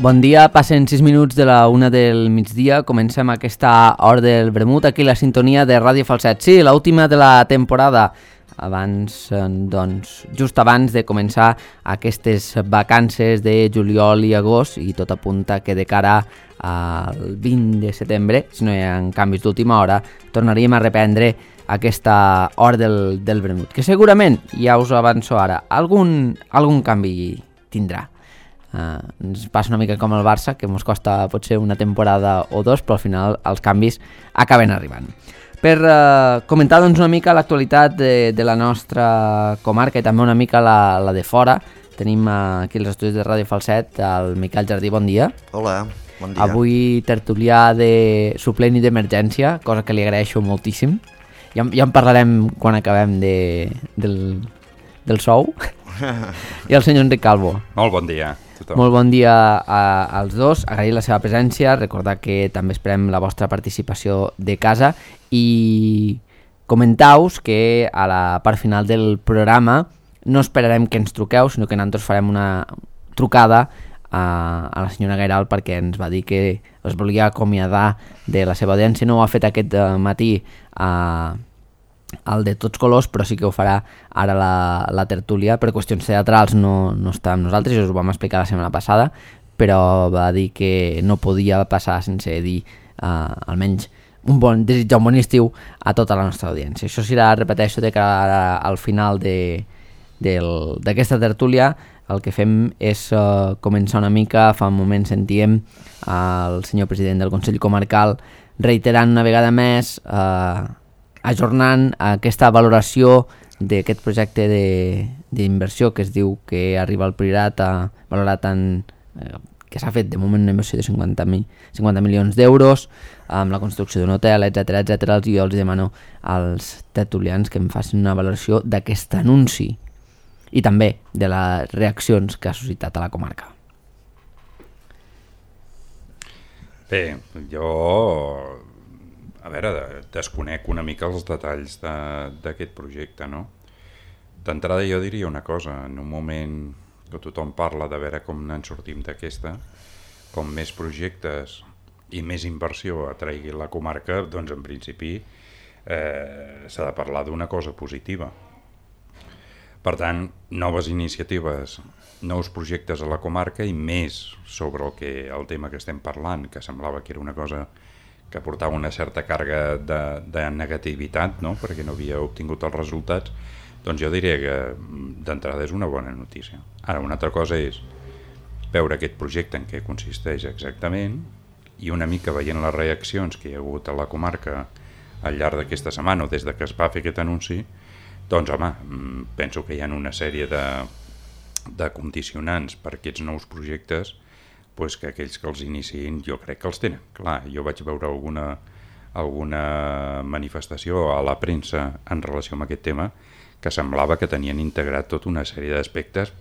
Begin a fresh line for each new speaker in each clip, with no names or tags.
Bon dia, passen 6 minuts de la 1 del migdia, comencem aquesta hora del vermut, aquí la sintonia de Ràdio Falset. Sí, l'última de la temporada, abans, doncs, just abans de començar aquestes vacances de juliol i agost, i tot apunta que de cara al 20 de setembre, si no hi ha canvis d'última hora, tornaríem a reprendre aquesta hora del vermut, que segurament, ja us ho avanço ara, algun canvi tindrà. Ens passa una mica com el Barça, que ens costa potser una temporada o dos, però al final els canvis acaben arribant. Per comentar doncs, una mica l'actualitat de la nostra comarca i també una mica la de fora, tenim aquí als estudis de Ràdio Falset el Miquel Jardí, bon dia.
Hola, bon dia.
Avui tertulià de suplent i d'emergència, cosa que li agraeixo moltíssim. Ja en parlarem quan acabem del sou. I el senyor Enric Calvo.
Molt bon dia.
Molt bon dia als dos, agrair la seva presència, recordar que també esperem la vostra participació de casa i comentar-vos que a la part final del programa no esperarem que ens truqueu, sinó que nosaltres farem una trucada a la senyora Gairal perquè ens va dir que es volia acomiadar de la seva audiència. No ho ha fet aquest matí el de Tots Colors, però sí que ho farà ara la tertúlia. Per qüestions teatrals no està amb nosaltres, ja us ho vam explicar la setmana passada, però va dir que no podia passar sense dir almenys desitjar un bon estiu a tota la nostra audiència. Això serà, repeteixo, de cara al final d'aquesta tertúlia. El que fem és començar una mica. Fa un moment sentíem el senyor president del Consell Comarcal reiterant una vegada més ajornant aquesta valoració d'aquest projecte d'inversió que es diu que arriba al Priorat valorat que s'ha fet de moment una inversió de 50 milions d'euros amb la construcció d'un hotel, etc. I jo els demano als tertulians que em facin una valoració d'aquest anunci i també de les reaccions que ha suscitat a la comarca.
Bé, jo desconec una mica els detalls d'aquest projecte, no? D'entrada jo diria una cosa, en un moment que tothom parla de veure com en sortim d'aquesta, com més projectes i més inversió atraigui la comarca, doncs en principi s'ha de parlar d'una cosa positiva. Per tant, noves iniciatives, nous projectes a la comarca i més sobre el tema que estem parlant, que semblava que era una cosa que portava una certa càrrega de negativitat, no? Perquè no havia obtingut els resultats, doncs jo diria que d'entrada és una bona notícia. Ara, una altra cosa és veure aquest projecte en què consisteix exactament i una mica veient les reaccions que hi ha hagut a la comarca al llarg d'aquesta setmana o des de que es va fer aquest anunci, doncs home, penso que hi ha una sèrie de condicionants per aquests nous projectes que aquells que els iniciïn jo crec que els tenen. Clar, jo vaig veure alguna manifestació a la premsa en relació amb aquest tema que semblava que tenien integrat tota una sèrie d'aspectes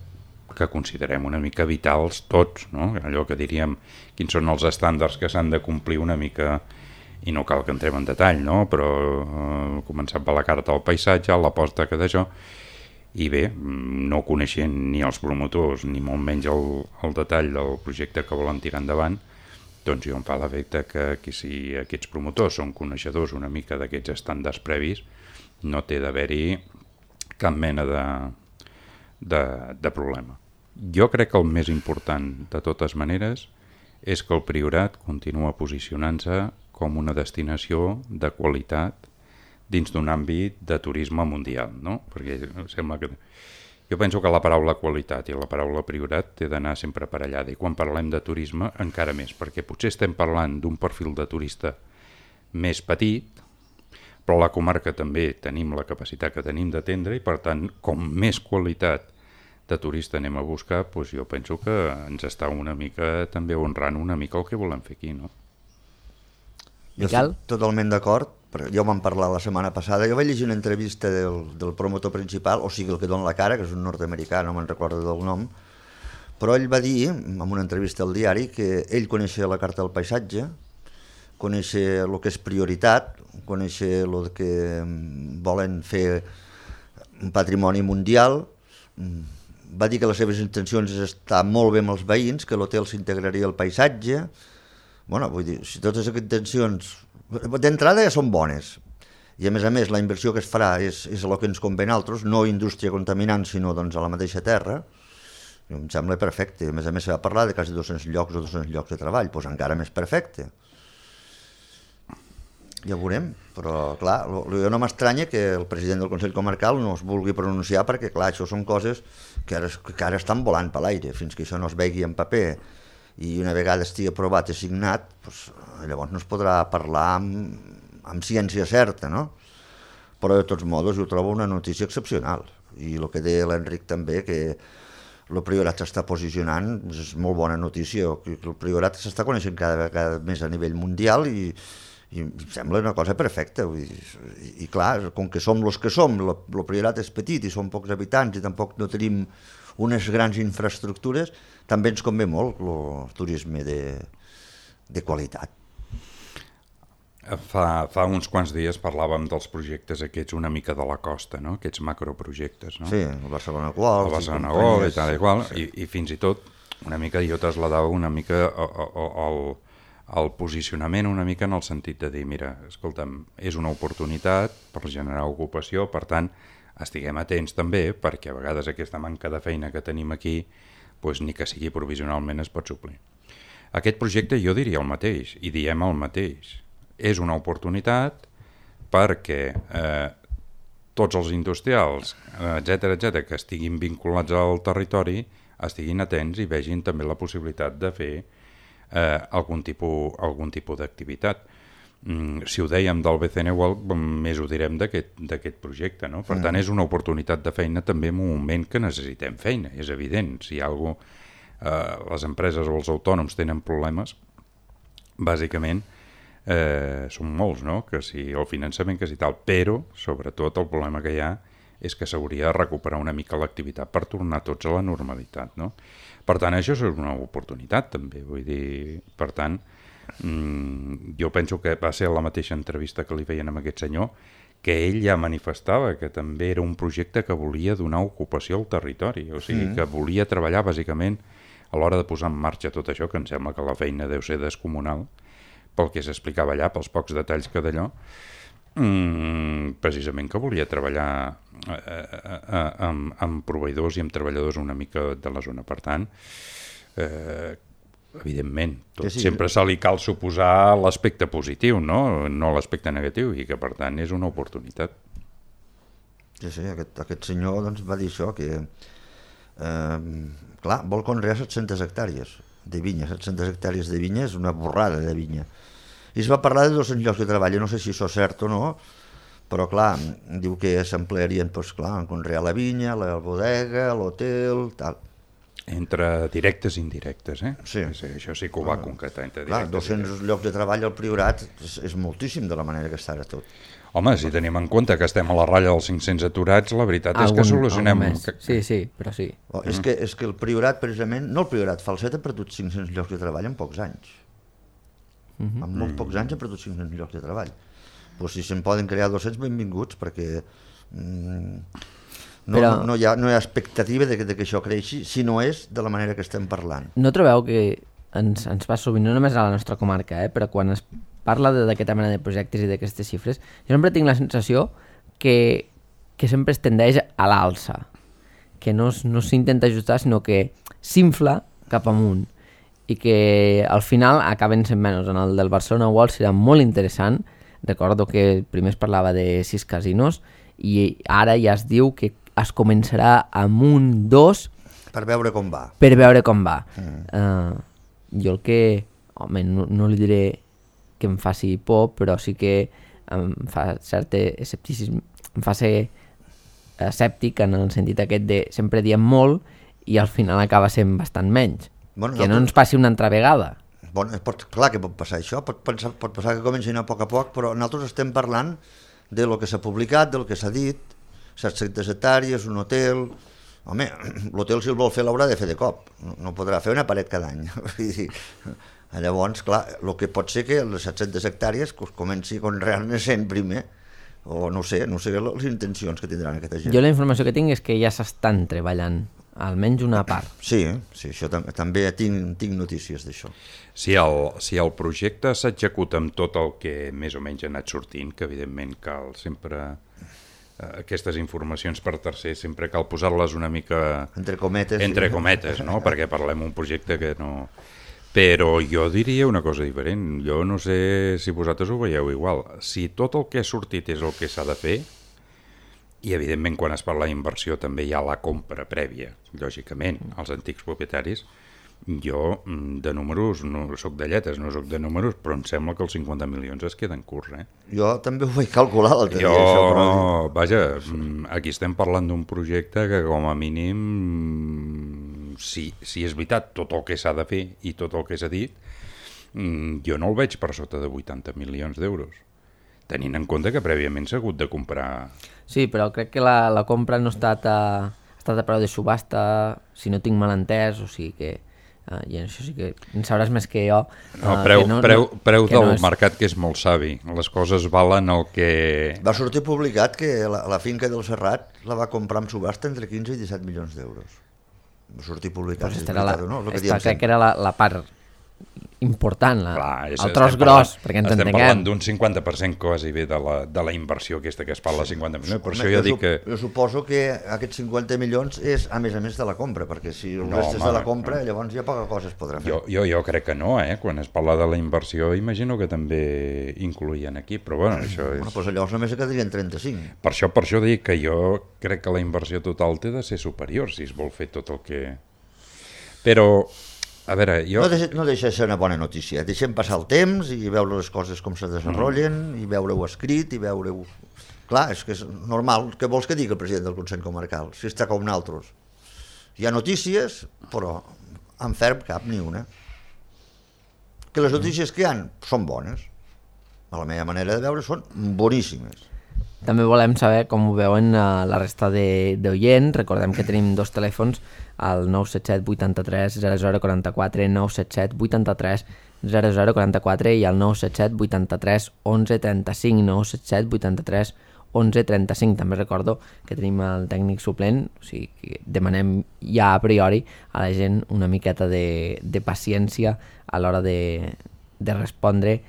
que considerem una mica vitals tots, no? Allò que diríem quins són els estàndards que s'han de complir una mica, i no cal que entrem en detall, no? Però començant per la carta del paisatge, l'aposta que d'això, i bé, no coneixent ni els promotors ni molt menys el detall del projecte que volen tirar endavant, doncs jo em fa l'efecte que si aquests promotors són coneixedors una mica d'aquests estàndards previs, no té d'haver-hi cap mena de problema. Jo crec que el més important de totes maneres és que el Priorat continua posicionant-se com una destinació de qualitat dins d'un àmbit de turisme mundial, no? Perquè sembla que... Jo penso que la paraula qualitat i la paraula Priorat té d'anar sempre aparellada, i quan parlem de turisme encara més, perquè potser estem parlant d'un perfil de turista més petit, però a la comarca també tenim la capacitat que tenim d'atendre i per tant, com més qualitat de turista anem a buscar, doncs jo penso que ens està una mica també honrant una mica el que volem fer aquí, no?
Jo estic totalment d'acord. Jo vam parlar la setmana passada, jo vaig llegir una entrevista del promotor principal, o sigui el que dona la cara, que és un nord-americà, no me'n recordo del nom, però ell va dir, en una entrevista al diari, que ell coneixia la carta del paisatge, coneixia el que és prioritat, coneixia el que volen fer un patrimoni mundial, va dir que les seves intencions és estar molt bé amb els veïns, que l'hotel s'integraria al paisatge. Bueno, vull dir, si totes aquestes intencions d'entrada ja són bones, i a més la inversió que es farà és el que ens convé a nosaltres, no indústria contaminant, sinó doncs, a la mateixa terra, i em sembla perfecte. A més se va parlar de quasi 200 llocs o 200 llocs de treball, doncs encara més perfecte. Ja ho veurem, però clar, jo no m'estranya que el president del Consell Comarcal no es vulgui pronunciar perquè clar, això són coses que ara estan volant per l'aire, fins que això no es vegi en paper i una vegada estigui aprovat i signat, doncs, llavors no es podrà parlar amb ciència certa, no? Però de tots modos jo trobo una notícia excepcional i el que deia l'Enric també, que el Priorat s'està posicionant, és molt bona notícia, que el Priorat s'està coneixent cada vegada més a nivell mundial i em sembla una cosa perfecta. I clar, com que som els que som, el Priorat és petit i som pocs habitants i tampoc no tenim unes grans infraestructures, també ens convé molt el turisme de qualitat.
Fa uns quants dies parlàvem dels projectes aquests una mica de la costa, no? Aquests macroprojectes, no?
Sí, el Barcelona World.
El Barcelona World i tal i qual, i fins i tot una mica jo trasladava una mica el posicionament una mica en el sentit de dir, mira, escolta'm, és una oportunitat per generar ocupació, per tant, estiguem atents també, perquè a vegades aquesta manca de feina que tenim aquí, doncs ni que sigui provisionalment es pot suplir. Aquest projecte jo diria el mateix, i diem el mateix. És una oportunitat perquè tots els industrials, etc que estiguin vinculats al territori, estiguin atents i vegin també la possibilitat de fer algun tipus d'activitat. Si ho dèiem del BCN World, més ho direm d'aquest projecte, no? Per tant, és una oportunitat de feina també en un moment que necessitem feina, és evident. Si les empreses o els autònoms tenen problemes, bàsicament són molts, no? Que si el finançament, que si tal, però sobretot el problema que hi ha és que s'hauria de recuperar una mica l'activitat per tornar tots a la normalitat, no? Per tant, això és una oportunitat també, vull dir, per tant, jo penso que va ser la mateixa entrevista que li feien amb aquest senyor, que ell ja manifestava que també era un projecte que volia donar ocupació al territori, o sigui, que volia treballar bàsicament a l'hora de posar en marxa tot això, que em sembla que la feina deu ser descomunal, pel que s'explicava allà, pels pocs detalls que d'allò, precisament que volia treballar amb proveïdors i amb treballadors una mica de la zona. Per tant, evidentment, sempre se li cal suposar l'aspecte positiu, no l'aspecte negatiu, i que per tant és una oportunitat.
Sí, aquest senyor doncs, va dir això, que clar, vol conrear 700 hectàrees de vinya. 700 hectàrees de vinya és una borrada de vinya. I es va parlar de 200 llocs de treball, no sé si això és cert o no, però clar, diu que s'emplearien doncs, clar, en conrear la vinya, la bodega, l'hotel, tal.
Entre directes i indirectes, eh?
Sí.
Això sí que ho va concretar. Entre
clar, 200 llocs de treball al Priorat és moltíssim de la manera que està ara tot.
Home, si tenim en compte que estem a la ratlla dels 500 aturats, la veritat és que solucionem...
Sí, però sí.
És que el Priorat, precisament, no el Priorat, Falset ha perdut 500 llocs de treball en pocs anys. En molt pocs anys ha perdut 500 llocs de treball. Pues si se'n poden crear 200, benvinguts, perquè no hi ha expectativa de que això creixi, si no és de la manera que estem parlant.
No trobeu que ens va sovint, no només a la nostra comarca, però quan es parla d'aquesta mena de projectes i d'aquestes xifres, jo sempre tinc la sensació que sempre es tendeix a l'alça, que no s'intenta ajustar, sinó que s'infla cap amunt, i que al final acaben sent menys. En el del Barcelona World serà molt interessant. Recordo que primer es parlava de 6 casinos i ara ja es diu que es començarà amb 1, 2...
Per veure com va.
Jo el que... Home, no li diré que em faci por, però sí que em fa cert escepticisme, em fa ser escèptic en el sentit aquest de sempre diem molt i al final acaba sent bastant menys. Bueno, que no ens passi una altra vegada.
Bueno, clar que pot passar això, pot passar que comenci a poc, però nosaltres estem parlant de lo que s'ha publicat, del que s'ha dit, 700 hectàrees, un hotel... Home, l'hotel si el vol fer l'haurà de fer de cop, no podrà fer una paret cada any. Llavors, clar, el que pot ser que les 700 hectàrees comenci a conrear-ne 100 primer, o no sé les intencions que tindran aquesta gent.
Jo la informació que tinc és que ja s'estan treballant almenys una part.
Sí, això també tinc notícies d'això.
Si el projecte s'executa amb tot el que més o menys ha anat sortint, que evidentment cal sempre aquestes informacions per tercers, sempre cal posar-les una mica
entre cometes,
no? Perquè parlem un projecte que no... Però jo diria una cosa diferent, jo no sé si vosaltres ho veieu igual. Si tot el que ha sortit és el que s'ha de fer, i evidentment quan es parla d'inversió també hi ha la compra prèvia, lògicament, als antics propietaris, jo de números no soc de lletres, no soc de números, però em sembla que els 50 milions es queden curts.
Jo també ho vaig calcular l'altre dia.
Vaja, aquí estem parlant d'un projecte que com a mínim, si és veritat tot el que s'ha de fer i tot el que s'ha dit, jo no el veig per sota de 80 milions d'euros, tenint en compte que prèviament s'ha hagut de comprar...
Sí, però crec que la compra no ha estat a preu de subhasta, si no tinc mal entès, o sigui que... I això sí que en sabràs més que jo.
Preu del mercat, que és molt savi. Les coses valen el que...
Va sortir publicat que la finca del Serrat la va comprar amb subhasta entre 15 i 17 milions d'euros. Va sortir publicat.
Pues crec que era la part important, el tros gros, perquè ens entenguem.
Estem parlant d'un 50% quasi bé de la inversió aquesta que es parla, 50 milions, per això jo dic que...
Jo suposo que aquests 50 milions és a més de la compra, perquè si el rest és de la compra, llavors ja poca cosa es podrà fer.
Jo crec que no, quan es parla de la inversió, imagino que també incloïen aquí, però bueno, això és...
Doncs llavors només quedarien 35.
Per això dic que jo crec que la inversió total té de ser superior, si es vol fer tot el que... Però... A veure,
no deixa de ser una bona notícia. Deixem passar el temps i veure les coses com se desenvolupen, i veure-ho escrit, i veure-ho... Clar, és que és normal. Què vols que digui el president del Consell Comarcal? Si està com nosaltres. Hi ha notícies, però en ferm cap ni una. Que les notícies que hi ha són bones. A la meva manera de veure són boníssimes.
També volem saber com ho veuen la resta d'oients. Recordem que tenim dos telèfons, el 977 83 0044, 977 83 0044 i el 977 83 11 35, 977 83 11 35. També recordo que tenim el tècnic suplent, o sigui que demanem ja a priori a la gent una miqueta de paciència a l'hora de respondre,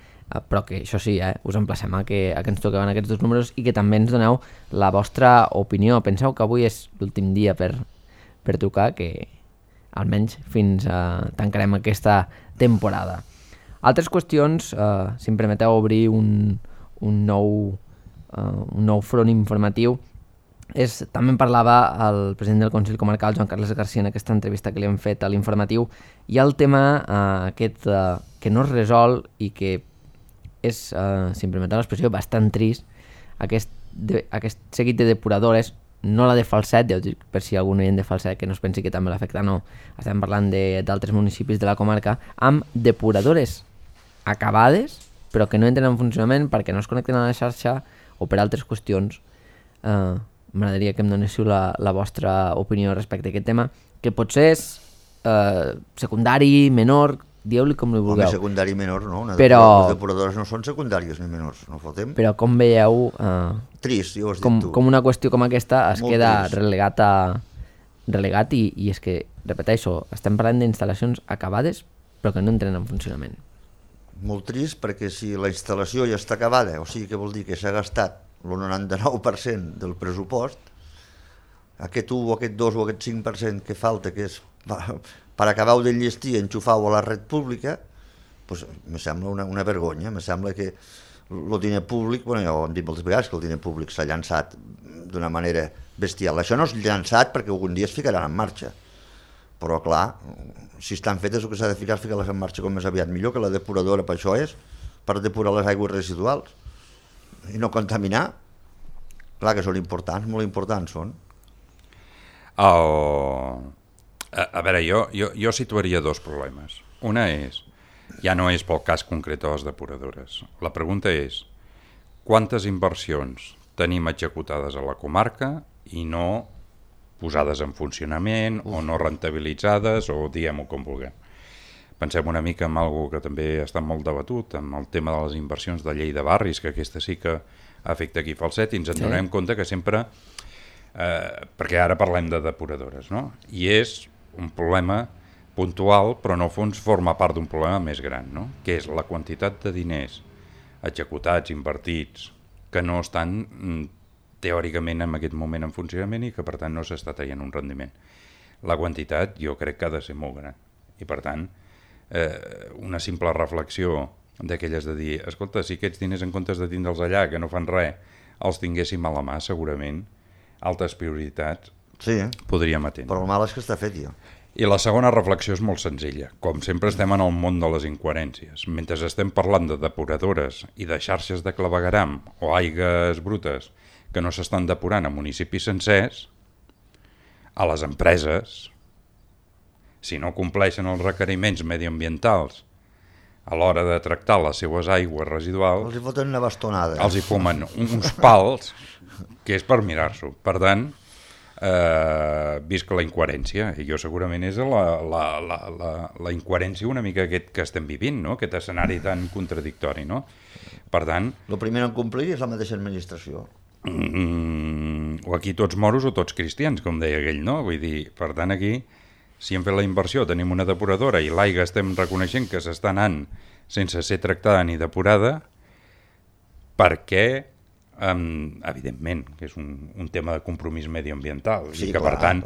però que això sí, us emplacem a que ens toqueu en aquests dos números i que també ens doneu la vostra opinió. Penseu que avui és l'últim dia per trucar, que almenys fins tancarem aquesta temporada. Altres qüestions, si em permeteu obrir un nou front informatiu, també en parlava el president del Consell Comarcal, Joan Carles Garcia, en aquesta entrevista que li hem fet a l'informatiu, i el tema aquest que no es resol i que és, si em permeteu l'expressió, bastant trist, aquest seguit de depuradores, no la de Falset, ja ho dic per si algun oient de Falset que no es pensi que també l'afecta, no, estem parlant d'altres municipis de la comarca, amb depuradores acabades però que no entren en funcionament perquè no es connecten a la xarxa o per altres qüestions. M'agradaria que em donéssiu la vostra opinió respecte a aquest tema, que potser és secundari, menor, dieu-li com li vulgueu.
Home, secundari menor no,
però...
les depuradores no són secundàries ni menors, no fotem.
Però com veieu,
trist, ja ho has dit tu.
Com una qüestió com aquesta es
molt
queda
trist.
relegat i és que, repeteixo, estem parlant d'instal·lacions acabades però que no entren en funcionament.
Molt trist, perquè si la instal·lació ja està acabada, o sigui que vol dir que s'ha gastat el 99% del pressupost, aquest 1 o aquest 2 o aquest 5% que falta, que és per acabar-ho d'enllestir i enxufar-ho a la red pública, doncs me sembla una vergonya. Me sembla que el diner públic, bueno, ja ho hem dit moltes vegades, que el diner públic s'ha llançat d'una manera bestial. Això no és llançat perquè algun dia es ficaran en marxa, però clar, si estan fetes el que s'ha de ficar és ficar-les en marxa com més aviat millor, que la depuradora per això és, per depurar les aigües residuals i no contaminar. Clar que són importants, molt importants són.
A veure, jo situaria dos problemes. Una és, ja no és pel cas concret de les depuradores. La pregunta és, quantes inversions tenim executades a la comarca i no posades en funcionament o no rentabilitzades, o diguem-ho com vulguem. Pensem una mica en algo que també està molt debatut, amb el tema de les inversions de llei de barris, que aquesta sí que afecta aquí Falset, i ens en donem compte que sempre perquè ara parlem de depuradores, no? I és un problema puntual, però en el fons forma part d'un problema més gran, no? Que és la quantitat de diners executats, invertits, que no estan teòricament en aquest moment en funcionament i que per tant no s'està traient un rendiment. La quantitat jo crec que ha de ser molt gran i per tant una simple reflexió d'aquelles de dir, escolta, si aquests diners en comptes de tindre'ls allà, que no fan res, els tinguéssim a la mà, segurament altres prioritats podríem atendre.
Però el mal és que està fet ja.
I la segona reflexió és molt senzilla. Com sempre estem en el món de les incoherències. Mentre estem parlant de depuradores i de xarxes de clavegueram o aigues brutes que no s'estan depurant a municipis sencers, a les empreses, si no compleixen els requeriments mediambientals a l'hora de tractar les seues aigües residuals,
els hi foten una bastonada.
Els hi fumen uns pals que és per mirar-s'ho. Per tant, visca la incoherència, i jo segurament és la incoherència una mica aquest que estem vivint, no? Aquest escenari tan contradictori, no? Per tant...
El primer en complir és la mateixa administració.
O aquí tots moros o tots cristians, com deia aquell, no? Vull dir, per tant aquí, si hem fet la inversió, tenim una depuradora i l'aigua estem reconeixent que s'està anant sense ser tractada ni depurada, perquè evidentment que és un tema de compromís mediambiental i que per tant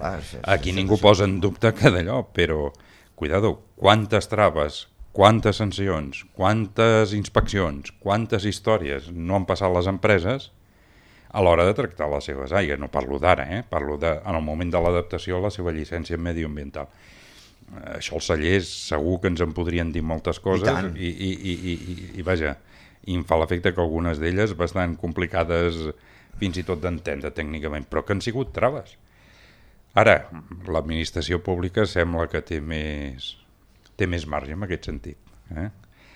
aquí ningú posa en dubte que d'allò, però cuidado, quantes traves, quantes sancions, quantes inspeccions, quantes històries no han passat les empreses a l'hora de tractar les seves aigües. No parlo d'ara, parlo en el moment de l'adaptació a la seva llicència mediambiental. Això els cellers segur que ens en podrien dir moltes coses i vaja, i em fa l'efecte que algunes d'elles bastant complicades fins i tot d'entendre tècnicament, però que han sigut traves. Ara, l'administració pública sembla que té més marge en aquest sentit.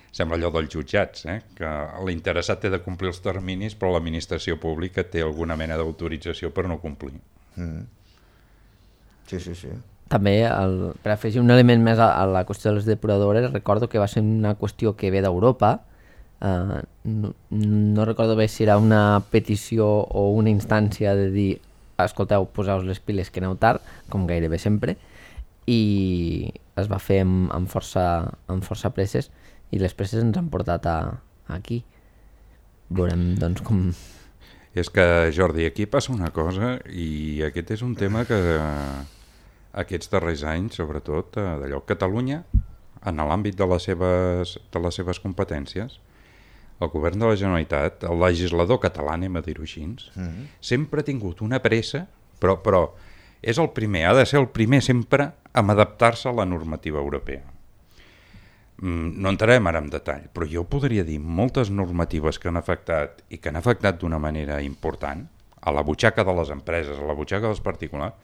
Sembla allò dels jutjats, que l'interessat té de complir els terminis, però l'administració pública té alguna mena d'autorització per no complir.
Sí.
També, per afegir un element més a la qüestió de les depuradores, recordo que va ser una qüestió que ve d'Europa. No recordo bé si era una petició o una instància de dir escolteu, poseu les piles que aneu tard, com gairebé sempre, i es va fer amb força presses i les presses ens han portat aquí. Veurem doncs com...
És que, Jordi, aquí passa una cosa i aquest és un tema que aquests darrers anys, sobretot d'allò, Catalunya, en l'àmbit de les seves competències, el govern de la Generalitat, el legislador català, anem a dir-ho així, sempre ha tingut una pressa, però és el primer, ha de ser el primer sempre a adaptar-se a la normativa europea. No entrarem ara en detall, però jo podria dir moltes normatives que han afectat i que han afectat d'una manera important a la butxaca de les empreses, a la butxaca dels particulars,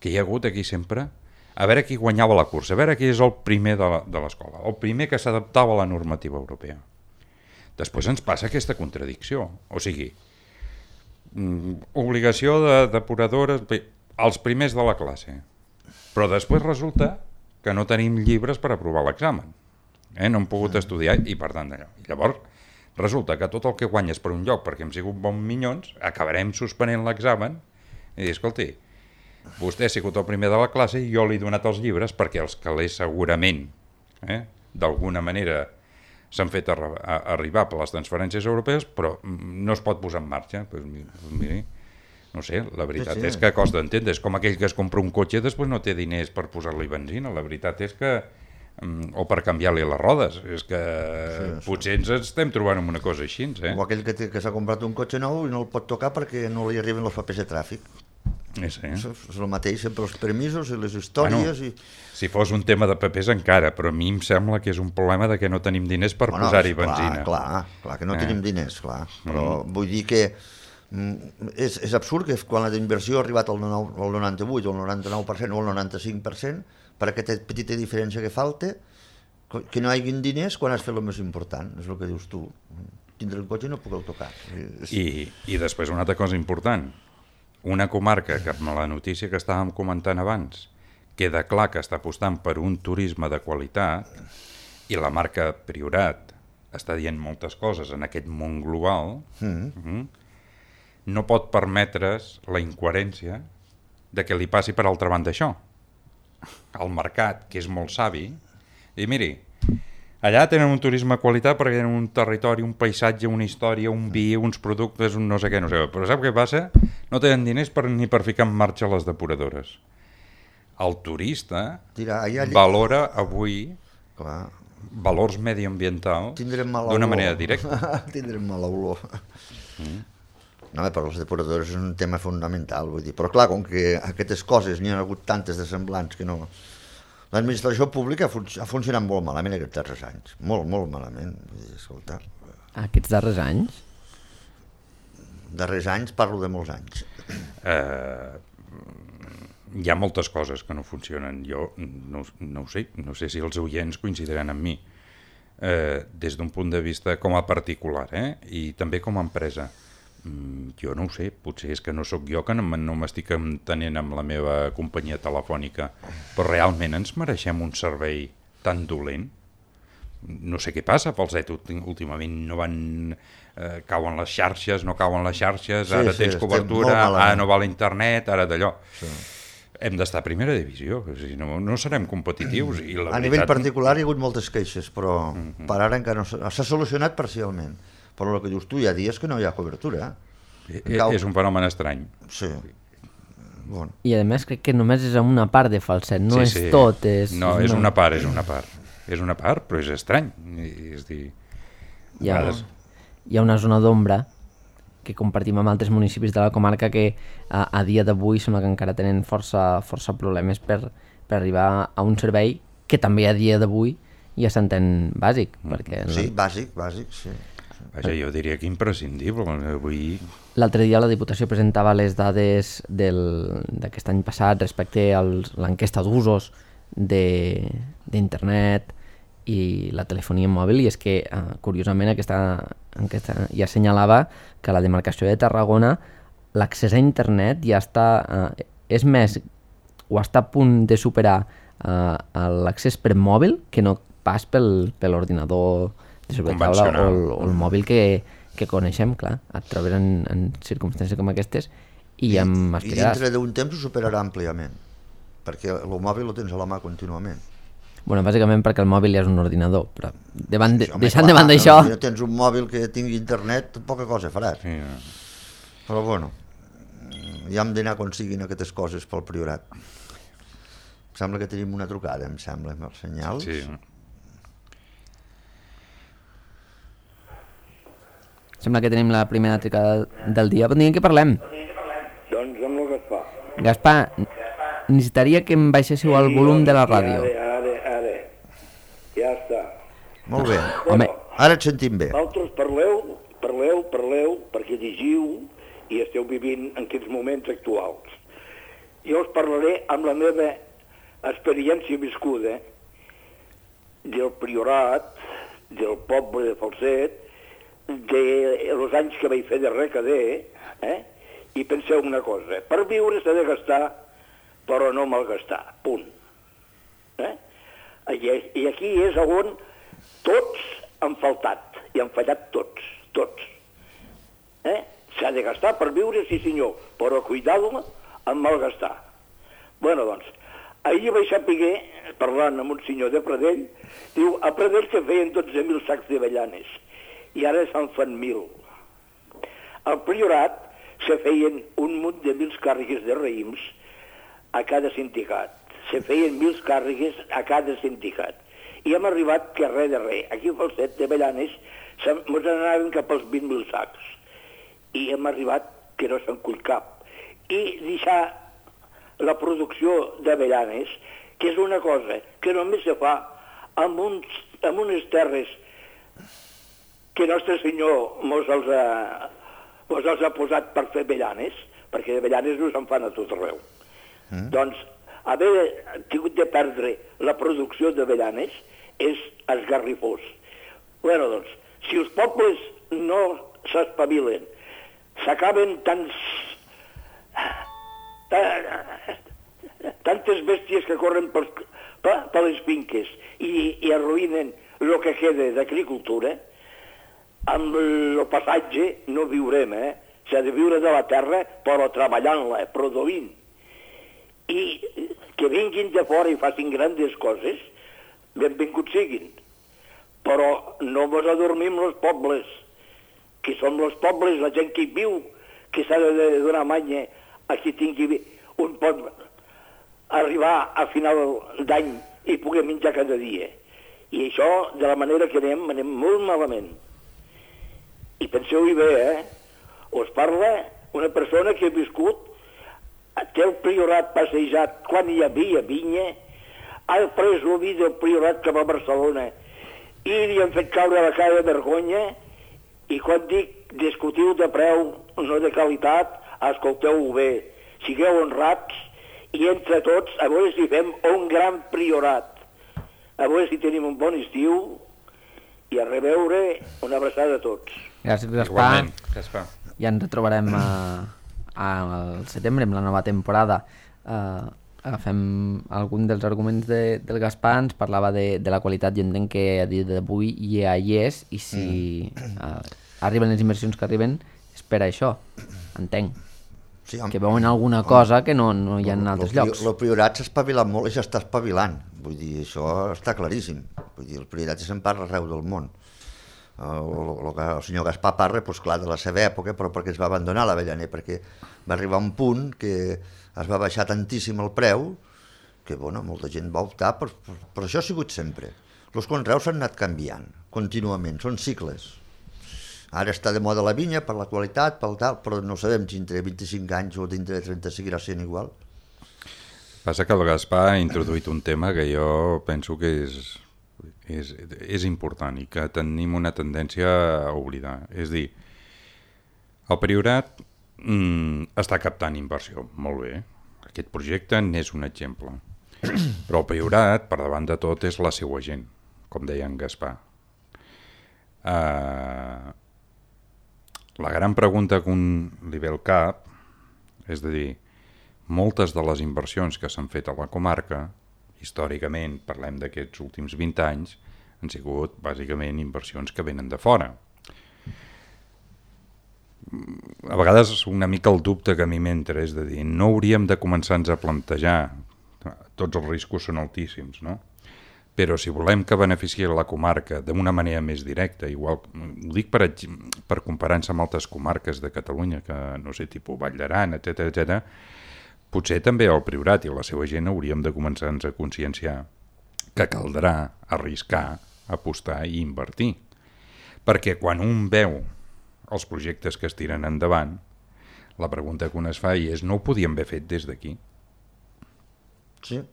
que hi ha hagut aquí sempre a veure qui guanyava la cursa, a veure qui és el primer de l'escola, el primer que s'adaptava a la normativa europea. Després ens passa aquesta contradicció, o sigui, obligació de depuradores, els primers de la classe, però després resulta que no tenim llibres per aprovar l'examen, no hem pogut estudiar i per tant d'allò. Llavors resulta que tot el que guanyes per un lloc perquè hem sigut bons minyons, acabarem suspenent l'examen i dir, escolti, vostè ha sigut el primer de la classe i jo li he donat els llibres perquè els calés segurament, d'alguna manera s'han fet arribar per les transferències europees, però no es pot posar en marxa. Pues miri, no sé, la veritat és que costa d'entendre. És com aquell que es compra un cotxe i després no té diners per posar-li benzina. La veritat és que... o per canviar-li les rodes. És que potser ens estem trobant amb una cosa així.
O aquell que s'ha comprat un cotxe nou i no el pot tocar perquè no li arriben els papers de tràfic. És el mateix, sempre els permisos i les històries.
Si fos un tema de papers encara, però a mi em sembla que és un problema de que no tenim diners per posar-hi benzina.
Clar que no tenim diners, clar. Però vull dir que és absurd que quan la inversió ha arribat al 98, o al 99% o al 95%, per aquesta petita diferència que falta, que no hi hagi diners quan has fet el més important, és el que dius tu. Tindre el cotxe i no poder tocar.
I després una altra cosa important. Una comarca que amb la notícia que estàvem comentant abans queda clar que està apostant per un turisme de qualitat i la marca Priorat està dient moltes coses en aquest món global, no pot permetre's la incoherència de que li passi per altra banda això. El mercat, que és molt savi, i miri, allà tenen un turisme de qualitat perquè tenen un territori, un paisatge, una història, un vi, uns productes, un no sé què, però sap què passa? No tenen diners ni per ficar en marxa les depuradores. El turista valora avui valors mediambientals d'una manera directa.
Tindrem mala olor. No, però les depuradores és un tema fonamental, vull dir. Però clar, com que aquestes coses n'hi ha hagut tantes de semblants que no... L'administració pública ha funcionat molt malament aquests darrers anys. Molt, molt malament. Vull dir, escolta...
Aquests darrers anys?
Darrers anys, parlo de molts anys.
Hi ha moltes coses que no funcionen. Jo no ho sé, no sé si els oients coincidiran amb mi. Des d'un punt de vista com a particular, i també com a empresa. Jo no ho sé, potser és que no sóc jo que no m'estic entenent amb la meva companyia telefònica, però realment ens mereixem un servei tan dolent? No sé què passa, Falset, últimament no van... cauen les xarxes, no cauen les xarxes, ara tens cobertura, ara no va l'internet, ara d'allò. Sí. Hem d'estar a primera divisió, no serem competitius. I la veritat...
A nivell particular hi ha hagut moltes queixes, però per ara encara no s'ha solucionat parcialment. Però el que dius tu, hi ha dies que no hi ha cobertura.
És un fenomen estrany.
Sí. Bueno.
I a més crec que només és una part de Falset, no és tot.
No, és una part. És una part, però és estrany. És dir...
Hi ha una zona d'ombra que compartim amb altres municipis de la comarca que a dia d'avui sembla que encara tenen força problemes per arribar a un servei que també a dia d'avui ja s'entén bàsic.
Sí, bàsic, sí.
Vaja, jo diria que imprescindible. Avui...
L'altre dia la Diputació presentava les dades d'aquest any passat respecte a l'enquesta d'usos d'internet i la telefonia mòbil, i és que, curiosament, aquesta enquesta ja assenyalava que a la demarcació de Tarragona l'accés a internet ja està... és més, o està a punt de superar l'accés per mòbil que no pas per l'ordinador de sobretaula o el mòbil que coneixem, clar, et trobes en circumstàncies com aquestes i
dintre d'un temps ho superarà àmpliament, perquè el mòbil ho tens a la mà contínuament.
Bueno, bàsicament perquè el mòbil ja és un ordinador, però deixant de banda això...
Si tens un mòbil que tingui internet, poca cosa faràs. Sí. Però bueno, ja hem d'anar aconseguint aquestes coses pel Priorat. Em sembla que tenim una trucada, em sembla, amb els senyals.
Sí.
Sembla que tenim la primera trucada del dia. Bon dia, què parlem?
Doncs amb el Gaspar.
Gaspar, necessitaria que em baixéssiu el volum de la ràdio.
Ara. Ja està.
Molt bé.
Home,
ara et sentim bé.
Vosaltres parleu, perquè llegiu i esteu vivint en aquests moments actuals. Jo us parlaré amb la meva experiència viscuda del Priorat, del poble de Falset, dels anys que vaig fer de recader, i penseu una cosa, per viure s'ha de gastar, però no malgastar, punt. I aquí és on tots han faltat, i han fallat tots. S'ha de gastar per viure, sí senyor, però cuidado amb malgastar. Bueno, doncs, ahir vaig saber, parlant amb un senyor de Pradell, diu, a Pradell se feien 12.000 sacs d'avellanes, i ara se'n fan 1.000. Al Priorat se feien un munt de 1.000 càrregues de raïms a cada sindicat. Se feien 1.000 càrregues a cada sindicat. I hem arribat que res de res. Aquí a Falset d'Avellanes ens anaven cap als 20.000 sacs. I hem arribat que no se'n cull cap. I deixar la producció d'Avellanes, que és una cosa que només se fa amb unes terres que Nostre Senyor mos els ha posat per fer avellanes, perquè avellanes no se'n fan a tot arreu. Doncs haver tingut de perdre la producció d'avellanes és esgarrifós. Bueno, doncs, si els pobles no s'espavilen, s'acaben tantes bèsties que corren per les finques i arruïnen el que queda d'agricultura, amb el passatge no viurem, s'ha de viure de la terra, però treballant-la, produint. I que vinguin de fora i facin grandes coses, benvinguts siguin. Però no mos adormim els pobles, que són els pobles, la gent que hi viu, que s'ha de donar manya a qui tingui un pot arribar a final d'any i pugui menjar cada dia. I això, de la manera que anem molt malament. I penseu-hi bé, us parla una persona que ha viscut, té el priorat passejat quan hi havia vinya, ha pres el vi del priorat cap a Barcelona i li han fet caure la cara de vergonya, i quan dic discutiu de preu, no de qualitat, escolteu-ho bé, sigueu honrats i entre tots a veure si fem un gran priorat, a veure si tenim un bon estiu i a reveure, una abraçada a tots.
Gràcies, Gaspar.
Igualment, Gaspar.
Ja ens retrobarem al setembre amb la nova temporada. Agafem algun dels arguments del Gaspar, ens parlava de la qualitat, jo entenc que a dia d'avui ja hi és, i si arriben les inversions que arriben és per això, entenc. Sí, que veuen alguna cosa que no hi ha en altres llocs.
El Priorat s'ha espavilat molt i s'està espavilant, vull dir, això està claríssim. Vull dir, el Priorat se'n parla arreu del món. El senyor Gaspar parla, doncs clar, de la seva època, però perquè es va abandonar l'Avellaner, perquè va arribar a un punt que es va baixar tantíssim el preu que, bueno, molta gent va optar, però això ha sigut sempre. Els conreus s'han anat canviant contínuament, són cicles. Ara està de moda la vinya per la qualitat, pel tal, però no sabem si dintre de 25 anys o dintre de 30 seguirà sent igual.
Passa que el Gaspar ha introduït un tema que jo penso que és important i que tenim una tendència a oblidar. És dir, el Priorat està captant inversió, molt bé. Aquest projecte n'és un exemple. Però el Priorat, per davant de tot, és la seva gent, com deia en Gaspar. La gran pregunta que li ve al cap és de dir, moltes de les inversions que s'han fet a la comarca, històricament, parlem d'aquests últims 20 anys, han sigut bàsicament inversions que venen de fora. A vegades una mica el dubte que a mi m'entra és de dir, no hauríem de començar-nos a plantejar, tots els riscos són altíssims, no? Però si volem que beneficiï la comarca d'una manera més directa, igual, ho dic per comparar-se amb altres comarques de Catalunya, que no sé, tipus Vall d'Aran, etc., potser també el Priorat i la seva gent hauríem de començar-nos a conscienciar que caldrà arriscar, apostar i invertir. Perquè quan un veu els projectes que es tiren endavant, la pregunta que un es fa és, no ho podíem haver fet des d'aquí?
Sí.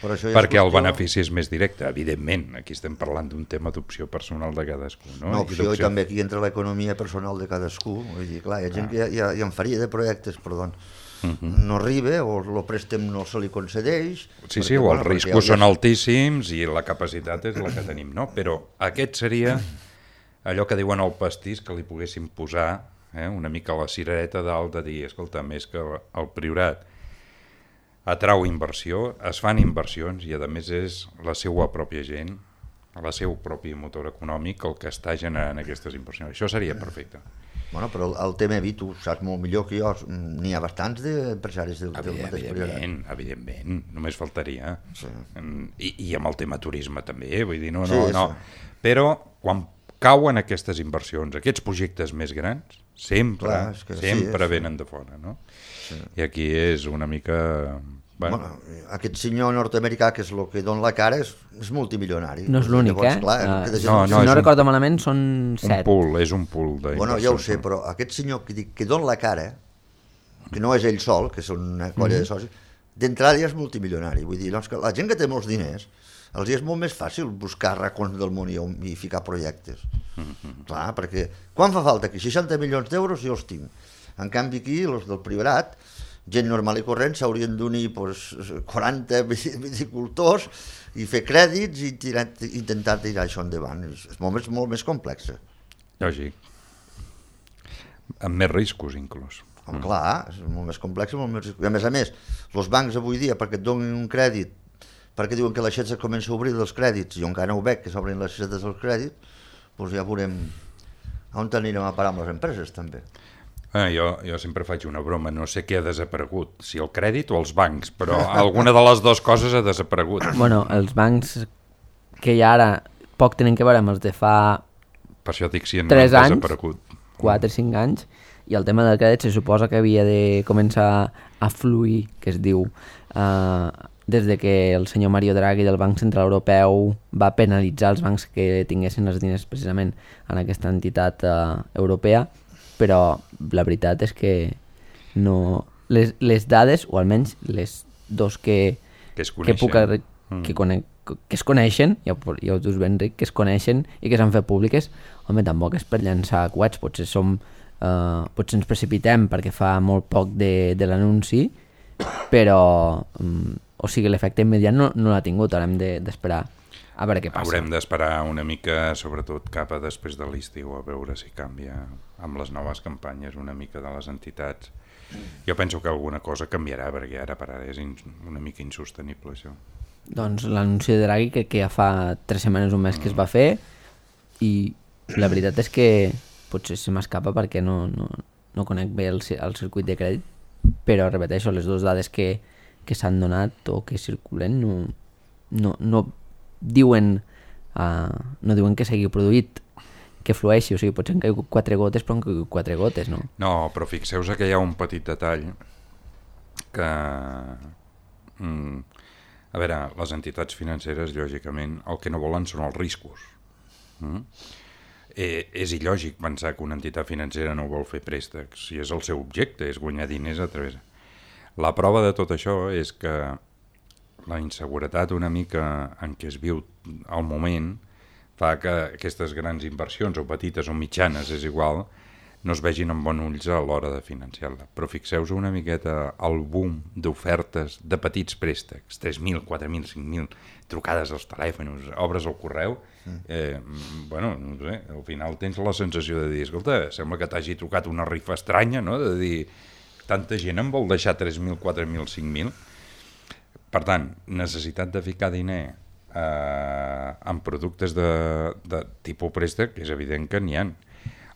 Perquè el benefici és més directe, evidentment. Aquí estem parlant d'un tema d'opció personal de cadascú. No,
opció, i també aquí entra l'economia personal de cadascú. Vull dir, clar, hi ha gent que ja en faria de projectes, però no arriba, o el préstec no se li concedeix.
Sí, o els riscos són altíssims i la capacitat és la que tenim, no? Però aquest seria allò que diuen el pastís, que li poguéssim posar una mica la cirereta dalt de dir, escolta, més que el Priorat atrau inversió, es fan inversions i a més és la seva pròpia gent, el seu propi motor econòmic el que està generant aquestes inversions. Això seria perfecte.
Bueno, però el TMB tu saps molt millor que jo, n'hi ha bastants d'empresaris del mateix Priorat.
Evidentment, només faltaria. Sí. I amb el tema turisme també, vull dir, no. Però quan cauen aquestes inversions, aquests projectes més grans, sempre venen de fora, no? Sí. I aquí és una mica...
Bueno, aquest senyor nord-americà, que és el que dona la cara, és multimilionari.
No és l'únic, si no recordo malament, són 7.
És un pool d'inversions.
Bueno, ja ho sé, però aquest senyor que dona la cara, que no és ell sol, que són una colla de socis, d'entrada ja és multimilionari. Vull dir, doncs, que la gent que té molts diners, els és molt més fàcil buscar racons del món i ficar projectes. Clar, perquè quan fa falta aquí? 60 milions d'euros jo els tinc. En canvi aquí, els del Priorat, gent normal i corrent, s'haurien d'unir 40 viticultors i fer crèdits i intentar tirar això endavant. És molt més complex.
Lògic. Amb més riscos, inclús.
Clar, és molt més complex i molt més riscos. A més, els bancs avui dia, perquè et donin un crèdit, perquè diuen que l'aixeta comença a obrir dels crèdits, i encara no ho veig, que s'obrin les aixetes dels crèdits, doncs ja veurem on anirem a parar amb les empreses, també.
Jo sempre faig una broma, no sé què ha desaparegut, si el crèdit o els bancs, però alguna de les dues coses ha desaparegut.
Bueno, els bancs que hi ha ara poc tenen que veure amb els de fa
Per això dic si han
3 anys,
desaparegut.
4 o 5 anys, i el tema del crèdit se suposa que havia de començar a fluir, que es diu, des de que el senyor Mario Draghi del Banc Central Europeu va penalitzar els bancs que tinguessin els diners precisament en aquesta entitat europea, però la veritat és que no, les dades, o almenys les dos que es coneixen, ja ho dius ben, Ric, que es coneixen i que s'han fet públiques, home, tampoc és per llançar coets, potser ens precipitem perquè fa molt poc de l'anunci, però o sigui, l'efecte immediat no l'ha tingut, ara hem d'esperar a veure què passa.
Haurem d'esperar una mica, sobretot cap a després de l'estiu, a veure si canvia amb les noves campanyes una mica de les entitats. Jo penso que alguna cosa canviarà, perquè ara per ara és una mica insostenible això.
Doncs l'anunci de Draghi que ja fa 3 setmanes, un mes que es va fer, i la veritat és que potser se m'escapa perquè no conec bé el circuit de crèdit, però repeteixo, les dues dades que s'han donat o que circulen no diuen que s'hagi produït, que flueixi, o sigui, potser han caigut 4 gotes, però han caigut 4 gotes, no?
No, però fixeu-vos que hi ha un petit detall que... A veure, les entitats financeres, lògicament, el que no volen són els riscos. És il·lògic pensar que una entitat financera no vol fer préstecs, si és el seu objecte, és guanyar diners a través... La prova de tot això és que la inseguretat una mica en què es viu al moment fa que aquestes grans inversions, o petites o mitjanes, és igual, no es vegin amb bons ulls a l'hora de financiar-la. Però fixeu-vos una miqueta el boom d'ofertes de petits préstecs, 3.000, 4.000, 5.000, trucades als telèfons, obres al correu, bueno, no sé, al final tens la sensació de dir, escolta, sembla que t'hagi trucat una rifa estranya, no?, de dir, tanta gent em vol deixar 3.000, 4.000, 5.000. Per tant, necessitat de ficar diner en productes de tipus préstec, és evident que n'hi ha.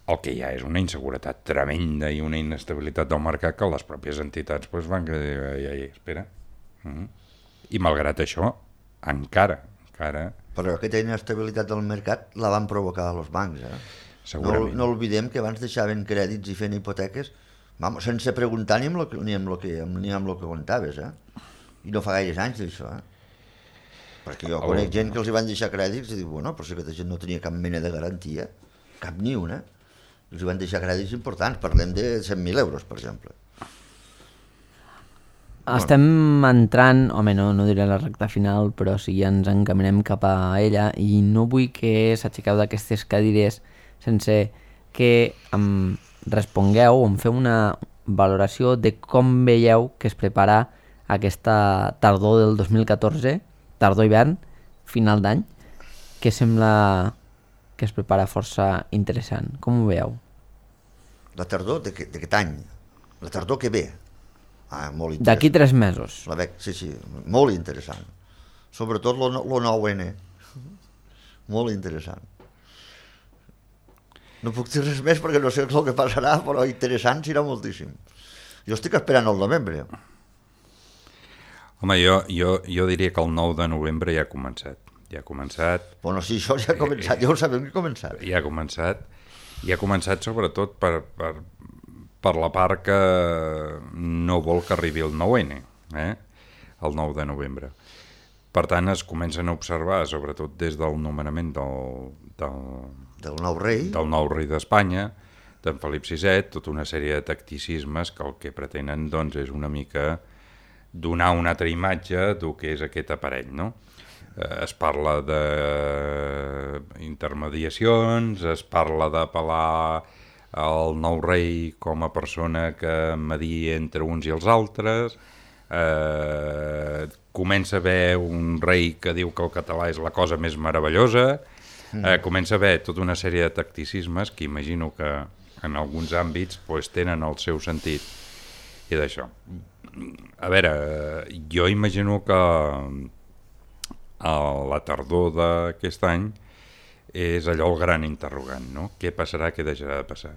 El que hi ha és una inseguretat tremenda i una inestabilitat del mercat que les pròpies entitats van dir, espera. I malgrat això, encara...
Però aquesta inestabilitat del mercat la van provocar els bancs,
Segurament.
No oblidem que abans deixaven crèdits i fent hipoteques sense preguntar ni amb el que comptaves, i no fa gaires anys d'això, perquè jo conec gent que els hi van deixar crèdits i dic, bueno, però si aquesta gent no tenia cap mena de garantia, cap ni una, els hi van deixar crèdits importants, parlem de 100.000 euros, per exemple.
Estem entrant, home, no diré la recta final, però sí ja ens encaminem cap a ella, i no vull que s'aixequeu d'aquestes cadires sense que respongueu o em feu una valoració de com veieu que es prepara aquesta tardor del 2014, tardor-hivern, final d'any, que sembla que es prepara força interessant. Com ho veieu?
La tardor d'aquest any? La tardor que ve? Molt interessant.
D'aquí 3 mesos.
Sí, molt interessant. Sobretot lo 9N. Molt interessant. No puc dir res més perquè no sé el que passarà, però interessant serà moltíssim. Jo estic esperant el novembre.
Home, jo diria que el 9 de novembre ja ha començat.
Bueno, sí, això ja ha començat, ja ho sabem que ha començat.
Ja ha començat sobretot per la part que no vol que arribi el 9N, el 9 de novembre. Per tant, es comencen a observar, sobretot des del nomenament
del nou rei
d'Espanya, d'en Felip VI, tota una sèrie de tacticismes que el que pretenen doncs, és una mica donar una altra imatge del que és aquest aparell, no? Es parla d'intermediacions, es parla d'apel·lar al nou rei com a persona que media entre uns i els altres, comença a haver un rei que diu que el català és la cosa més meravellosa, comença a haver tota una sèrie de tacticismes que imagino que en alguns àmbits tenen el seu sentit i d'això. A veure, jo imagino que la tardor d'aquest any és allò el gran interrogant, no? Què passarà, què deixarà de passar?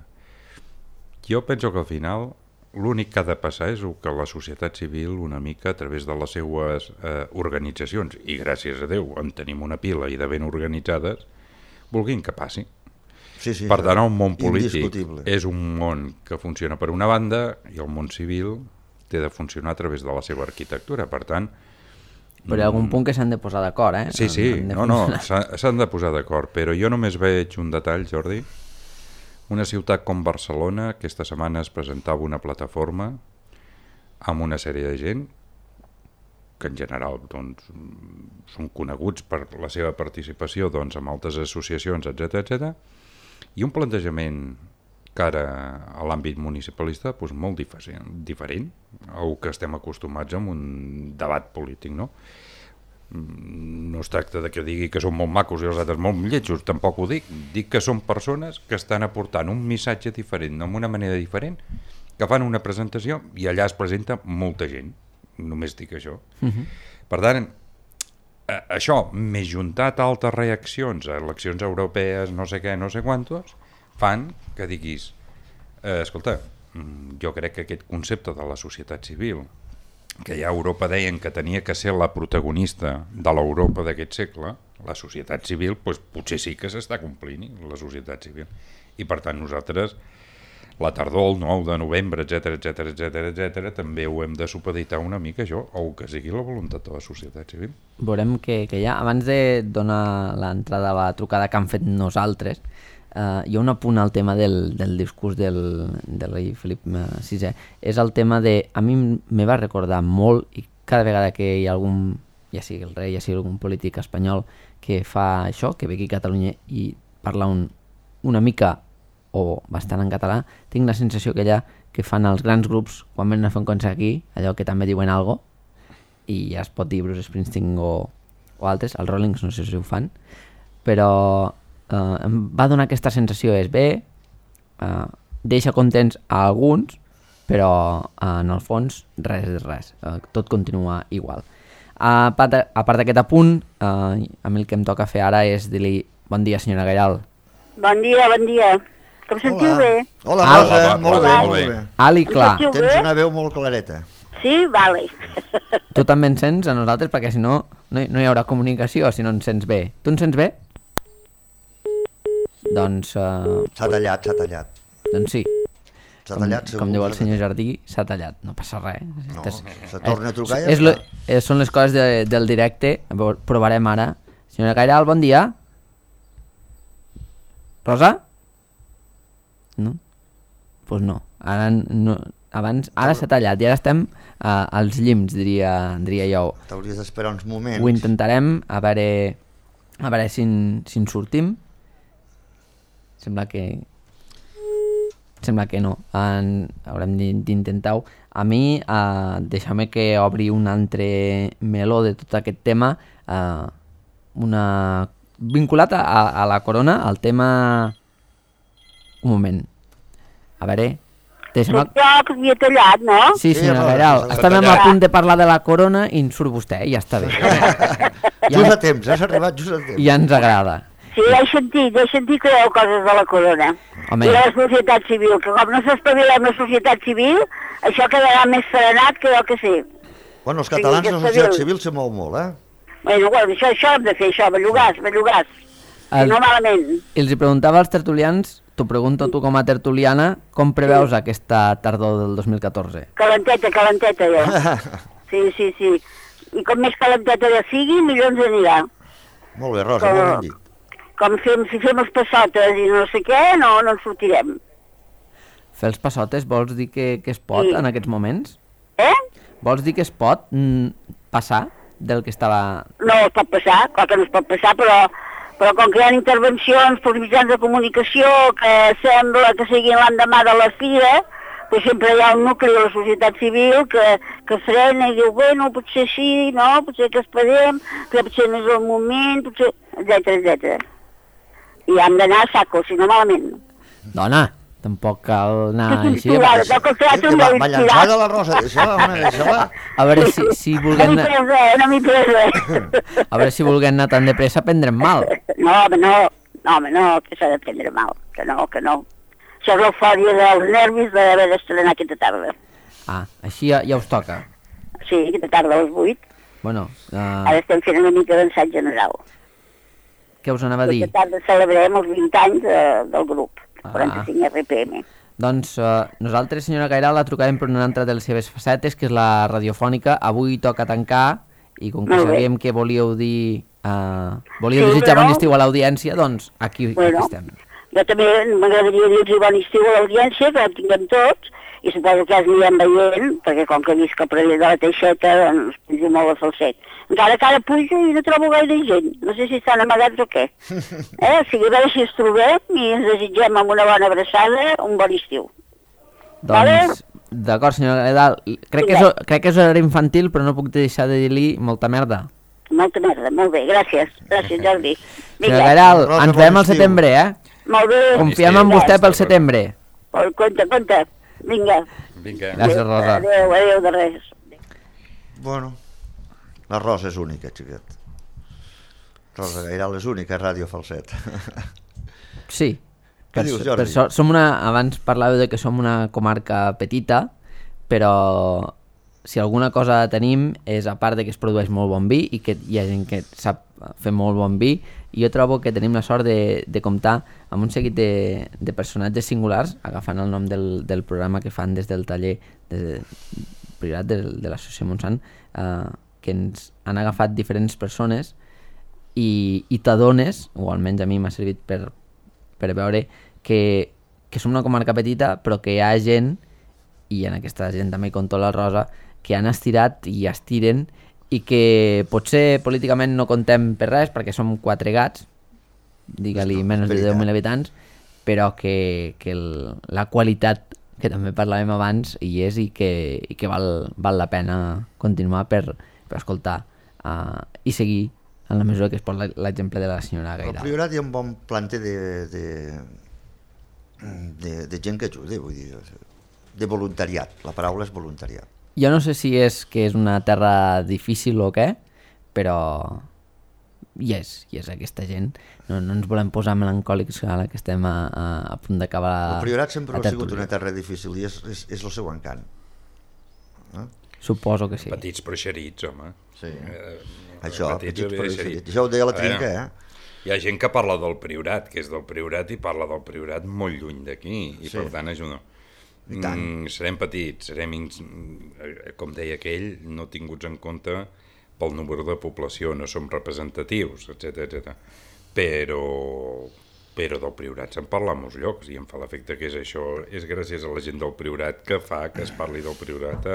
Jo penso que al final l'únic que ha de passar és que la societat civil una mica a través de les seues organitzacions, i gràcies a Déu en tenim una pila i de ben organitzades, vulguin que passi.
Sí,
per tant, el món polític és un món que funciona per una banda i el món civil té de funcionar a través de la seva arquitectura. Per tant...
Però hi ha algun punt que s'han de posar d'acord, eh?
Sí, s'han de posar d'acord, però jo només veig un detall, Jordi. Una ciutat com Barcelona, aquesta setmana es presentava una plataforma amb una sèrie de gent que en general doncs, són coneguts per la seva participació doncs, en altres associacions, etc. I un plantejament que ara a l'àmbit municipalista doncs, molt diferent al que estem acostumats en un debat polític, no? No es tracta de que digui que són molt macos i els altres molt lletjos, tampoc ho dic. Dic que són persones que estan aportant un missatge diferent, amb una manera diferent, que fan una presentació i allà es presenta molta gent. Només dic això. Per tant, això, més juntat a altres reaccions, a eleccions europees, no sé què, no sé quantos, fan que diguis, escolta, jo crec que aquest concepte de la societat civil, que ja a Europa deien que tenia que ser la protagonista de l'Europa d'aquest segle, la societat civil, doncs potser sí que s'està complint, la societat civil. I per tant nosaltres, la tardor, el 9 de novembre, etc., també ho hem de supeditar una mica això, o que sigui la voluntat de la societat civil.
Veurem que ja, abans de donar l'entrada a la trucada que han fet nosaltres, hi ha un apunt al tema del discurs del rei Felip VI. És el tema de... A mi me va recordar molt, i cada vegada que hi ha algun, ja sigui el rei, ja sigui algun polític espanyol que fa això, que ve aquí a Catalunya i parla una mica o bastant en català, tinc la sensació que allà que fan els grans grups quan venen a fer un concert aquí, allò que també diuen algo, i ja es pot dir Bruce Springsteen o altres, els Rollings no sé si ho fan, però em va donar aquesta sensació, és bé, deixa contents a alguns, però en el fons res és res, tot continua igual. A part d'aquest apunt, a mi el que em toca fer ara és dir-li bon dia, senyora Gairal.
Bon dia. Que em sentiu bé?
Hola, Rosa, molt bé.
Alt i clar.
Tens una veu molt clareta.
Sí? Vale.
Tu també ens sents a nosaltres, perquè si no, no hi haurà comunicació si no ens sents bé. Tu ens sents bé? Doncs...
S'ha tallat.
Doncs sí.
S'ha tallat, segur.
Com diu el senyor Jardí, s'ha tallat. No passa res.
No, se torna a trucar i ja està.
Són les coses del directe. Provarem ara. Senyora Gairal, bon dia. Rosa? No? Doncs no. Ara s'ha tallat i ara estem als llims, diria jo.
T'hauries d'esperar uns moments.
Ho intentarem, a veure si en sortim. Sembla que no. Haurem d'intentar-ho. A mi, deixa'm que obri un altre meló de tot aquest tema, vinculat a la corona, al tema... Un moment. A veure...
Jo que havia tallat, no?
Sí, senyora Gairal. Estàvem a punt de parlar de la corona i en surt vostè, i ja està bé.
Just a temps, has arribat just a temps.
Ja ens agrada.
Sí, he sentit que hi ha coses de la corona.
Home.
I de la societat civil, que com no s'espavilem la societat civil, això quedarà més serenat que jo que sé.
Bueno, els catalans la societat civil se mou molt,
Bueno, això hem de fer, això, bellugàs. No malament.
I els preguntava als tertulians, t'ho pregunto tu com a tertuliana, com preveus aquesta tardor del 2014?
Calenteta, jo. Sí. I com més calenteta ja sigui, millor ens anirà.
Molt bé, Rosa, molt ben dit.
Com si fem els passotes i no sé què, no en sortirem.
Fer els passotes vols dir que es pot en aquests moments? Vols dir que es pot passar del que estava...
No es pot passar, clar que no es pot passar, però com que hi ha intervencions pels mitjans de comunicació que sembla que siguin l'endemà de la fira, pues sempre hi ha un nucli de la societat civil que frena i diu, bueno, potser sí, no, potser que esperem, però potser no és el moment, potser... etc. I hem d'anar a saco, si no malament.
Dona, tampoc cal anar així.
Va llançada la Rosa, deixa-la.
A veure si volguem anar...
No m'hi pres res.
A veure si volguem anar tan de pressa prendrem mal.
No, que s'ha de prendre mal, que no. Això és l'eufòria dels nervis d'haver d'estrenar aquesta tarda.
Ah, així ja us toca.
Sí, aquesta tarda a les 8.
Bueno,
Ara estem fent una mica d'ensat general.
què us anava a dir?
Aquesta tarda celebrem els 20 anys del grup, 45 RPM.
Doncs nosaltres, senyora Gairal, la trucarem per una altra de les seves facetes, que és la radiofònica. Avui toca tancar, i com que sabíem que volíeu dir... volíeu desitjar bon estiu a l'audiència, doncs aquí estem.
Jo també m'agradaria dir-los bon estiu a l'audiència, que la tinguem tots, i suposo que ja els anirem veient, perquè com que visc al Parell de la Teixeta, doncs pujo molt a Falset. Encara que ara pujo i no trobo gaire gent, no sé si estan amagats o què. O sigui, a veure si ens trobem i ens desitgem amb una bona abraçada un bon estiu.
Doncs, d'acord, senyora Gairal, crec que és horari infantil, però no puc deixar de dir-li molta merda.
Molta merda, molt bé, gràcies. Gràcies, Jordi.
Senyora Gairal, ens veiem al setembre,
Molt bé.
Confiem en vostè pel setembre.
Compte. Vinga.
Gràcies, Rosa.
Adéu de res.
Bueno, la Rosa és única, xiquet. Rosa Gairal és única a Ràdio Falset.
Sí.
Què dius, Jordi?
Abans parlàveu de que som una comarca petita, però si alguna cosa tenim és, a part de que es produeix molt bon vi i que hi ha gent que sap fer molt bon vi, i jo trobo que tenim la sort de comptar amb un seguit de personatges singulars, agafant el nom del programa que fan des del taller privat de l'Associació Montsant, que ens han agafat diferents persones i t'adones, o almenys a mi m'ha servit per veure que som una comarca petita, però que hi ha gent, i en aquesta gent també hi compto la Rosa, que han estirat i estiren, i que potser políticament no contem per res, perquè som 4 gats, digue-li menys de 10.000 habitants, però que la qualitat, que també parlàvem abans, hi és, i que val la pena continuar per escoltar i seguir en la mesura que es pot l'exemple de la senyora Gairal.
Al Priorat hi ha un bon planter de gent que ajuda, vull dir, de voluntariat, la paraula és voluntariat.
Jo no sé si és que és una terra difícil o què, però hi és aquesta gent. No ens volem posar melancòlics ara que estem a punt d'acabar la tertúlia.
El Priorat sempre ha sigut una terra difícil i és el seu encant.
Suposo que sí.
Petits però xerits, home.
Sí. Això, petits però xerits. Això ho deia la Trinca,
Hi ha gent que parla del Priorat, que és del Priorat, i parla del Priorat molt lluny d'aquí, i per tant ajuda. Serem petits, com deia aquell, no tinguts en compte pel número de població, no som representatius, etc. Però del Priorat se'n parla a molts llocs, i em fa l'efecte que és això, és gràcies a la gent del Priorat que fa que es parli del Priorat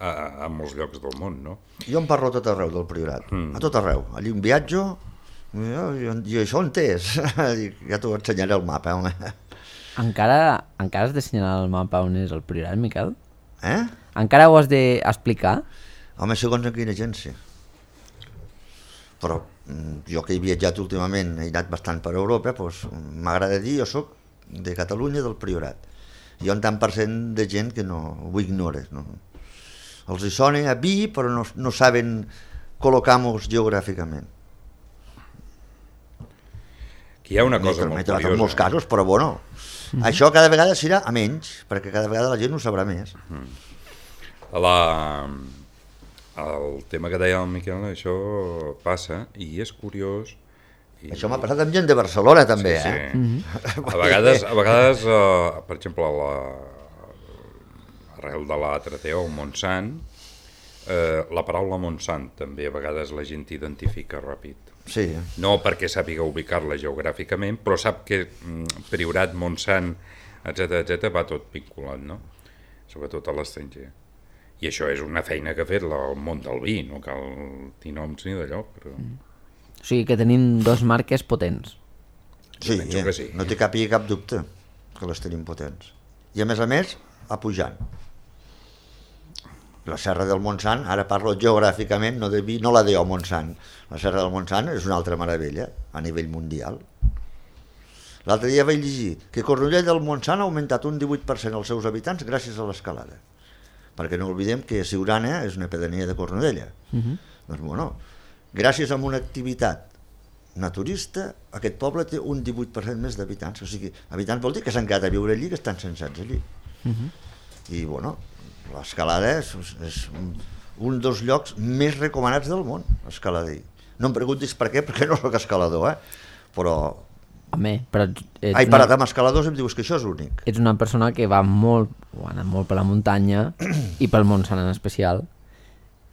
a molts llocs del món, no?
Jo en parlo a tot arreu del Priorat, a tot arreu. Allí en viatjo, i això on és? Ja t'ho ensenyaré el mapa, home.
Encara has d'assenyalar el mapa on és el Priorat, Miquel?
Encara
ho has d'explicar?
Home, segons en quina agència. Però jo que he viatjat últimament, he anat bastant per Europa, doncs m'agrada dir, jo soc de Catalunya, del Priorat. Hi ha un tant per cent de gent que ho ignora. No? Els hi sona a vi, però no saben col·locar-nos geogràficament.
Hi ha una cosa molt curiosa.
En molts casos, però bueno, això cada vegada serà a menys, perquè cada vegada la gent ho sabrà més.
El tema que deia el Miquel, això passa, i és curiós.
Això m'ha passat amb gent de Barcelona, també,
A vegades, per exemple, arrel de l'A3T o Montsant, la paraula Montsant també a vegades la gent identifica ràpid.
Sí.
No perquè sàpiga ubicar-la geogràficament, però sap que Priorat, Montsant, etc va tot vinculat, no? Sobretot a l'estranger. I això és una feina que ha fet el món del vi, no cal dir noms ni d'allò. Però...
O sigui que tenim 2 marques potents.
Sí, no té cap dubte que les tenim potents. I a més, a pujant. La Serra del Montsant, ara parlo geogràficament, no de vi, no la deu Montsant. La Serra del Montsant és una altra meravella a nivell mundial. L'altre dia vaig llegir que Cornudella del Montsant ha augmentat un 18% els seus habitants gràcies a l'escalada. Perquè no oblidem que Siurana és una pedania de Cornudella. Doncs bueno, gràcies a una activitat naturista, aquest poble té un 18% més d'habitants. O sigui, habitants vol dir que s'han quedat a viure allí, que estan censats allí. I, bueno, l'escalada és un dels llocs més recomanats del món, escalader. No em preguntis per què, perquè no soc escalador, però...
Home, però...
He parat amb escaladors i em dius que això és únic.
Ets una persona que va molt, o ha anat molt per la muntanya i pel Montsant en especial,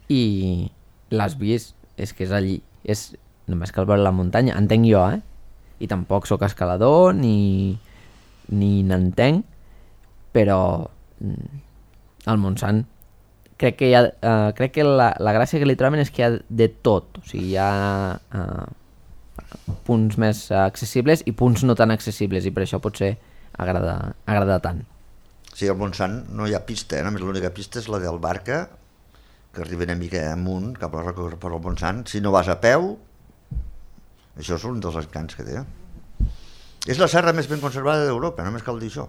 i l'has vist, és que és allí, és només cal veure la muntanya, entenc jo, i tampoc sóc escalador ni n'entenc, però al Montsant crec que la gràcia que li troben és que hi ha de tot, o sigui, hi ha punts més accessibles i punts no tan accessibles, i per això potser agrada tant.
Sí, al Montsant no hi ha pista, només l'única pista és la del Barca, que arriba una mica amunt, cap a la roca per al Montsant. Si no vas a peu, això és un dels encants que té. És la serra més ben conservada d'Europa, només cal dir això.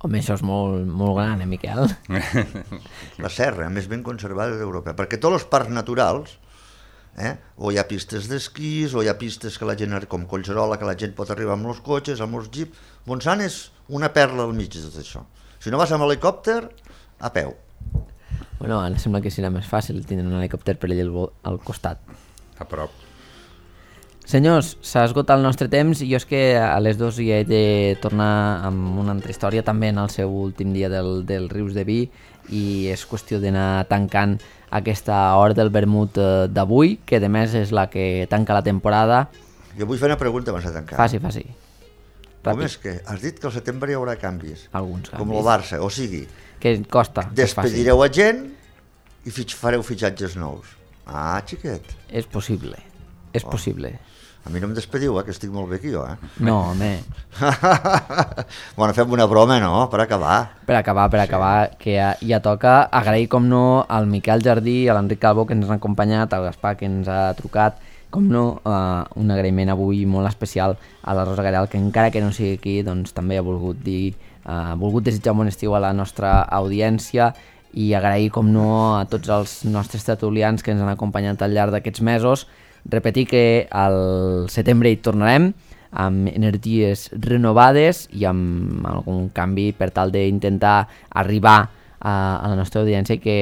Home, això és molt, molt gran, Miquel?
La serra més ben conservada d'Europa, perquè tots els parcs naturals, o hi ha pistes d'esquís, o hi ha pistes que la gent, com Collserola, que la gent pot arribar amb els cotxes, amb els jeeps. Montsant és una perla al mig de tot això. Si no vas amb helicòpter, a peu.
Bueno, ara sembla que serà més fàcil tindre un helicòpter per allà al costat.
A prop.
Senyors, s'ha esgotat el nostre temps i jo és que a les 2 hi he de tornar amb una altra història, també en el seu últim dia del Rius de Vi, i és qüestió d'anar tancant aquesta hora del vermut d'avui, que de més és la que tanca la temporada.
Jo vull fer una pregunta abans de tancar.
Faci.
Com és que has dit que al setembre hi haurà canvis?
Alguns canvis.
Com el Barça, o sigui...
Que costa.
Despedireu a gent i fareu fitxatges nous. Ah, xiquet.
És possible, possible.
A mi no em despediu, que estic molt bé aquí jo,
No, home.
Bueno, fem una broma, no?, per acabar. Per
acabar, que ja toca agrair, com no, al Miquel Jardí, a l'Enric Calvo, que ens han acompanyat, al Gaspar, que ens ha trucat, com no, un agraïment avui molt especial a la Rosa Garel, que encara que no sigui aquí, doncs també ha volgut desitjar un bon estiu a la nostra audiència, i agrair, com no, a tots els nostres tertulians que ens han acompanyat al llarg d'aquests mesos. Repetir que al setembre hi tornarem amb energies renovades i amb algun canvi per tal d'intentar arribar a la nostra audiència i que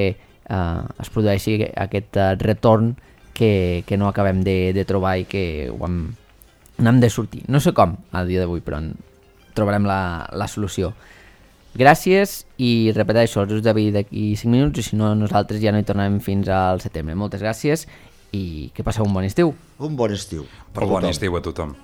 es produeixi aquest retorn que no acabem de trobar i que n'hem de sortir. No sé com a dia d'avui, però trobarem la solució. Gràcies i repeteixo, el Rius de Vi d'aquí 5 minuts, i si no, nosaltres ja no hi tornarem fins al setembre. Moltes gràcies i que passeu un bon estiu.
Un bon estiu.
Bon estiu a tothom.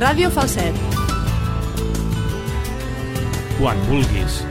Ràdio Falset.
Quan vulguis.